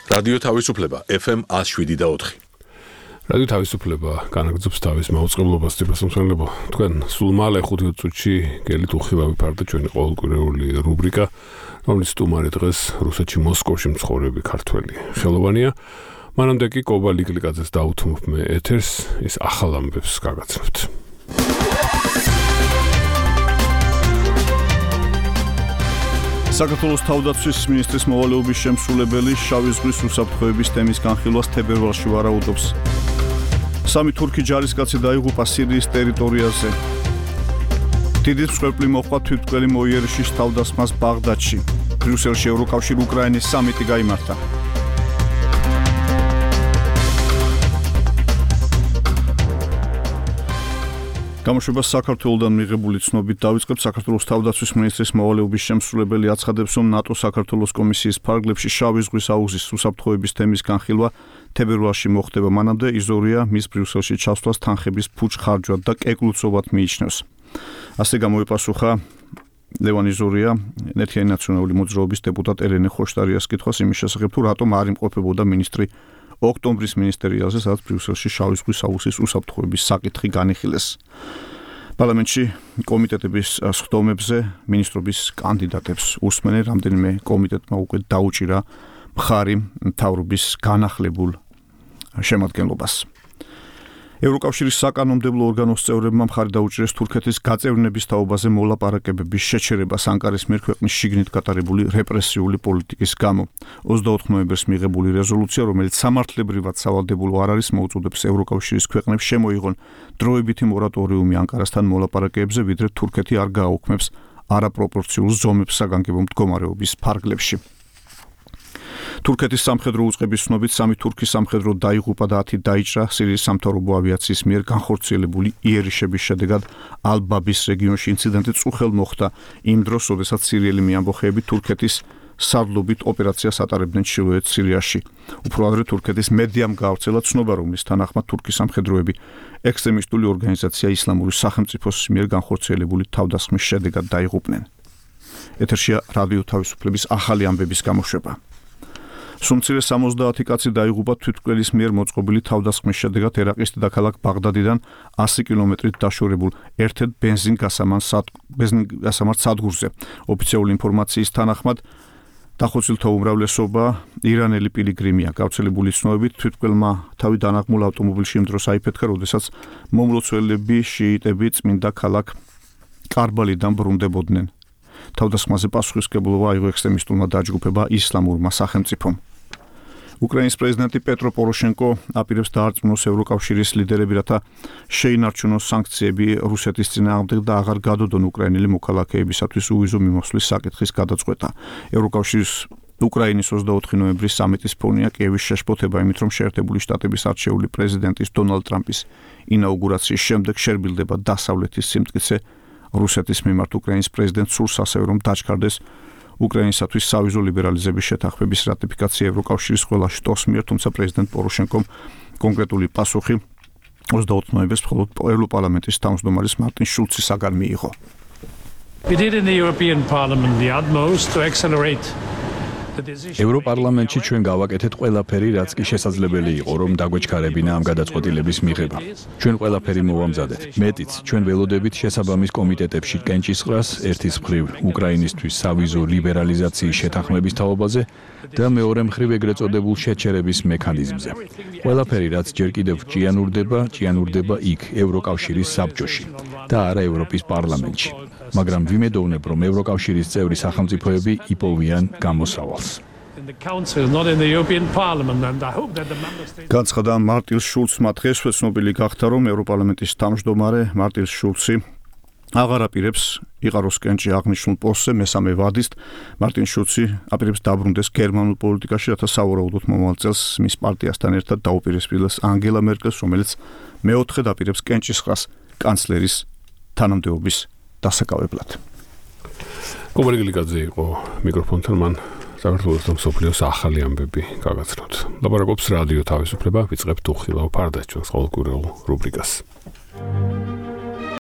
რადიო თავისუფლება FM 107.4. რადიო თავისუფლება განაგრძობს თავის მაუწყებლობას თვითმსმენელებო. თქვენ სულ მალე 5 წუთში გელით უხილავი ფარდა ჩვენი ყოველკვირეული რუბრიკა, რომლის სტუმარი დღეს რუსეთში მოსკოვში მცხოვრები ქართველი ხელოვანია. მანამდე კი კობა ლიკლიკაძეს დაუთმობ მე ეთერს, ის ახალ ამბებს გაგაცნობთ. საქართველოს თავდაცვის მინისტრის მოვალეობის შემსრულებელი შავი ზღვის უსაფრთხოების თემის განხილვას თებერვალში ვარაუდობს. 3 თურქი ჯარისკაცი დაიღუპა სირიის ტერიტორიაზე. დიდი მსხვერპლი მოჰყვა თვითმკვლელი მოიერიშის თავდასხმას ბაღდადში. ბრიუსელში ევროკავშირ-უკრაინის სამიტი გაიმართა. გამოშვება საქართველოსთან მიღებული ცნობით დავიწყებ. საქართველოს თავდაცვის მინისტრის მოვალეობის შემსრულებელი აცხადებს, რომ ნატო-საქართველოს კომისიის ფარგლებში შავი ზღვის აუზის უსაფრთხოების თემის განხილვა თებერვალში მოხდება. მანამდე იზორია მის ბრიუსელში ჩასვლას თანხების ფუჭ-ხარჯვად და კეკლუცობად მიიჩნევს. ასე გამოიპასუხა ლევან იზორია ერთიანი ნაციონალური მოძრაობის დეპუტატ ელენე ხოშტარიას კითხვას იმის შესახებ, თუ რატომ არ იმყოფებოდა მინისტრი ოქტომბრის მინისტერიალზე, სადაც ბრიუსელში შავი ზღვის აუზის უსაფრთხოების საკითხი განიხილეს. პარლამენტში კომიტეტების სხდომებზე მინისტრობის კანდიდატებს უსმენენ. რამდენიმე კომიტეტმა უკვე დაუჭირა მხარი მთავრობის განახლებულ შემადგენლობას. ევროკავშირის საკანონმდებლო ორგანოს წევრებმა მხარი დაუჭირეს თურქეთის გაწევრიანების თაობაზე მოლაპარაკებების შეჩერებას ანკარის მიერ ქვეყნის შიგნით გატარებული რეპრესიული პოლიტიკის გამო. 24 ნოემბერს მიღებული რეზოლუცია, რომელიც სამართლებრივად სავალდებულო არ არის, მოუწოდებს ევროკავშირის ქვეყნებს შემოიღონ დროებითი მორატორიუმი ანკარასთან მოლაპარაკებებზე, ვიდრე თურქეთი არ გააუქმებს არაპროპორციულ ზომებს საგანგებო მდგომარეობის ფარგლებში. თურქეთის სამხედრო უწყების ცნობით 3 თურქი სამხედრო დაიღუპა და 10 დაიჭრა სირიის სამთავრობო ავიაციის მიერ განხორციელებული იერიშების შედეგად ალ-ბაბის რეგიონში. ინციდენტი წუხელ მოხდა იმ დროს, როდესაც სირიელი მეამბოხეები თურქეთის სარდლობით ოპერაციას ატარებდნენ ჩრდილოეთ სირიაში. უფრო ადრე თურქეთის მედიამ გაავრცელა ცნობა, რომლის თანახმად თურქი სამხედროები ექსტრემისტული ორგანიზაცია ისლამური სახელმწიფოს მიერ განხორციელებული თავდასხმის შედეგად დაიღუპნენ. ეთერშია რადიო თავისუფლების ახალი ამბების გამოშვება. სუმცირე 70 კაცი დაიღუპა თვითმკვლელის მიერ მოწყობილი თავდასხმის შედეგად ერაყის დედაქალაქ ბაღდადიდან 100 კილომეტრით დაშორებულ ერთ-ერთ ბენზინგასამართ სადგურზე. ოფიციალური ინფორმაციის თანახმად დახოცილთა უმრავლესობა ირანელი პილიგრიმია. გავრცელებული ცნობებით თვითმკვლელმა თავი დანაღმულ ავტომობილში იმ დროს აიფეთქა, როდესაც მომლოცველები შიიტები წმინდა ქალაქ კარბალიდან ბრუნდებოდნენ. თავდასხმაზე პასუხისმგებლობა აიღო ექსტრემისტულმა დაჯგუფება ისლამურმა სახელმწიფომ. უკრაინის პრეზიდენტი პეტრო პოროშენკო აპირებს დაარწმუნოს ევროკავშირის ლიდერები, რათა შეინარჩუნოს სანქციები რუსეთის წინააღმდეგ და აღარ გადოდონ უკრაინელი მოქალაქეებისათვის უვიზო მიმოსვლის საკითხის გადაწყვეტა. ევროკავშირის უკრაინის 24 ნოემბრის სამიტის ფონია კიევის შეშფოთება იმით, რომ შეერთებული შტატების არჩეული პრეზიდენტის დონალდ ტრამპის ინაუგურაციის შემდეგ შერბილდება დასავლეთის სიმტკიცე რუსეთის მიმართ. უკრაინის პრეზიდენტს სურს ასევე, რომ დაჩქარდეს უკრაინისათვის სავიზო ლიბერალიზების შეთანხმების რატიფიკაცია ევროკავშირის ყველა შტოს მიერ, თუმცა პრეზიდენტ პოროშენკომ კონკრეტული პასუხი 24 ნოემბერს მხოლოდ ევროპარლამენტის თავმჯდომარის მარტინ შულცისაგან მიიღო. We did in the European Parliament the utmost to accelerate ევროპარლამენტში ჩვენ გავაკეთეთ ყველაფერი, რაც კი შესაძლებელი იყო, რომ დაგვეჩქარებინა ამ გადაწყვეტილების მიღება. ჩვენ ყველაფერი მოვამზადეთ. მეტიც, ჩვენ ველოდებით შესაბამის კომიტეტებში კენჭისყრას, ერთის მხრივ უკრაინისთვის სავიზო ლიბერალიზაციის შეთანხმების თაობაზე და მეორე მხრივ ეგრეთ წოდებულ შეჩერების მექანიზმზე. ყველაფერი, რაც ჯერ კიდევ ჭიანურდება იქ, ევროკავშირის საბჭოში და არა ევროპის პარლამენტში. მაგრამ ვიმედოვნებ, რომ ევროკავშირის წევრი სახელმწიფოები იპოვიან გამოსავალს. განცხადა მარტინ შულცმა. დღესვე ცნობილი გახდა, რომ ევროპარლამენტის თავმჯდომარე მარტინ შულცი აღარ აპირებს იყაროს კენჭი აღნიშნულ პოსტზე მესამე ვადისტ. მარტინ შულცი აპირებს დაბრუნდეს გერმანულ პოლიტიკაში, რათა სავარაუდოდ მომავალ წელს მის პარტიასთან ერთად დაუპირისპირდეს ანგელა მერკელს, რომელიც მეოთხედ აპირებს კენჭისყრას კანცლერის თანამდებობის დასაკავებლად. კობა ლიკლიკაძე იყო მიკროფონთან, მან საქართველოს და მსოფლიოს ახალი ამბები გაგაცნოთ. ლაპარაკობს რადიო თავისუფლება, ვიწყებთ უხილავ ფარდას ჩვენს ყოველკვირეულ რუბრიკას.